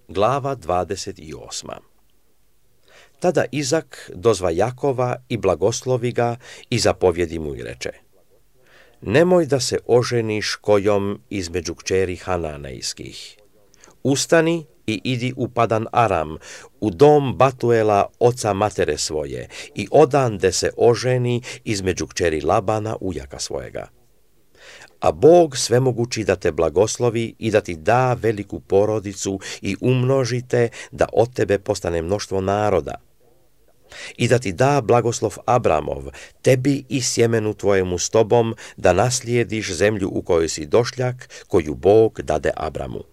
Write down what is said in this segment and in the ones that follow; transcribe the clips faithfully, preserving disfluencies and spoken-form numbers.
Glava dvadeset osma. Tada Izak dozva Jakova i blagoslovi ga i zapovjedi mu i reče: Nemoj da se oženiš kojom između kćeri Hananejskih. Ustani i idi u Padan Aram, u dom Batuela, oca matere svoje, i odande se oženi između kćeri Labana, ujaka svojega. A Bog svemogući da te blagoslovi i da ti da veliku porodicu i umnožite, da od tebe postane mnoštvo naroda. I da ti da blagoslov Abramov, tebi i sjemenu tvojemu s tobom, da naslijediš zemlju u kojoj si došljak, koju Bog dade Abramu.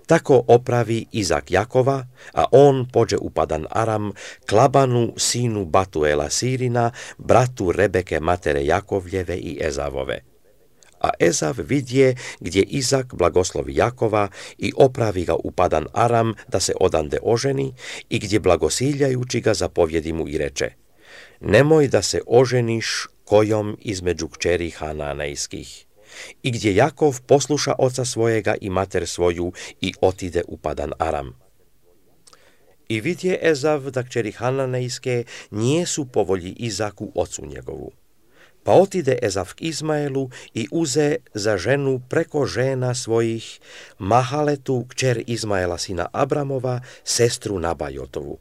Tako opravi Izak Jakova, a on pođe u Padan Aram k Labanu, sinu Batuela Sirina, bratu Rebeke matere Jakovljeve i Ezavove. A Ezav vidje gdje Izak blagoslovi Jakova i opravi ga u Padan Aram da se odande oženi i gdje blagosiljajući ga zapovjedi mu i reče: Nemoj da se oženiš kojom između kćeri Hananejskih. I gdje Jakov posluša oca svojega i mater svoju i otide u Padan Aram. I vidje Ezav da kćeri Hananejske nijesu po volji Izaku ocu njegovu. Pa otide Ezav k Izmaelu i uze za ženu preko žena svojih Mahaletu, kćer Izmaela sina Abramova, sestru Nabajotovu.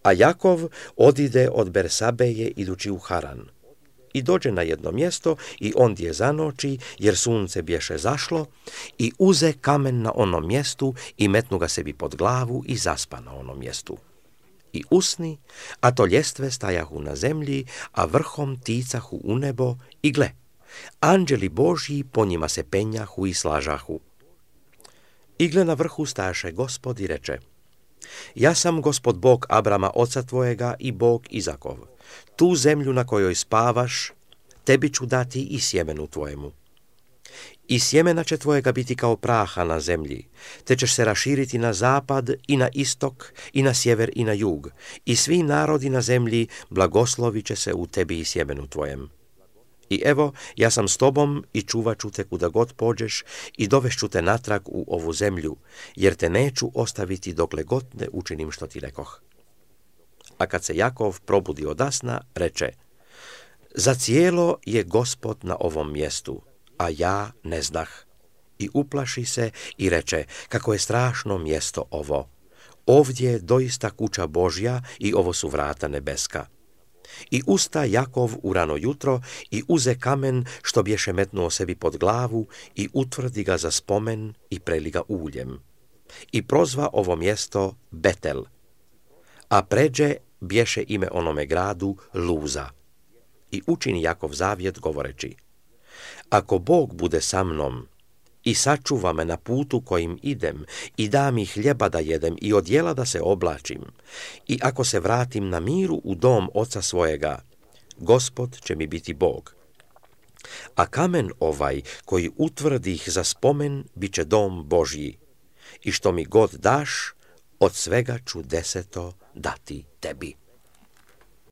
A Jakov odide od Bersabeje idući u Haran. I dođe na jedno mjesto i ondje zanoći, jer sunce bješe zašlo, i uze kamen na onom mjestu i metnu ga sebi pod glavu i zaspa na onom mjestu. I usni, a to ljestve stajahu na zemlji, a vrhom ticahu u nebo, i gle, anđeli Božji po njima se penjahu i slažahu. I gle, na vrhu stajaše Gospod i reče: Ja sam Gospod Bog Abrama oca tvojega i Bog Izakov. Tu zemlju na kojoj spavaš, tebi ću dati i sjemenu tvojemu. I sjemena će tvojega biti kao praha na zemlji, te ćeš se raširiti na zapad i na istok i na sjever i na jug, i svi narodi na zemlji blagoslovit će se u tebi i sjemenu tvojem. I evo, ja sam s tobom i čuvat ću te kuda god pođeš i dovešću te natrag u ovu zemlju, jer te neću ostaviti dokle god ne učinim što ti rekoh. A kad se Jakov probudi odasna, reče: Zacijelo je Gospod na ovom mjestu, a ja ne znah. I uplaši se i reče: Kako je strašno mjesto ovo! Ovdje je doista kuća Božja i ovo su vrata nebeska. I usta Jakov u rano jutro i uze kamen što bješe metnuo sebi pod glavu i utvrdi ga za spomen i preli ga uljem. I prozva ovo mjesto Betel. A pređe bješe ime onome gradu Luza. I učini Jakov zavjet govoreći: Ako Bog bude sa mnom i sačuva me na putu kojim idem i da mi hljeba da jedem i odjela da se oblačim, i ako se vratim na miru u dom oca svojega, Gospod će mi biti Bog. A kamen ovaj koji utvrdih za spomen bit će dom Božji, i što mi god daš, od svega ću deseto dati tebi.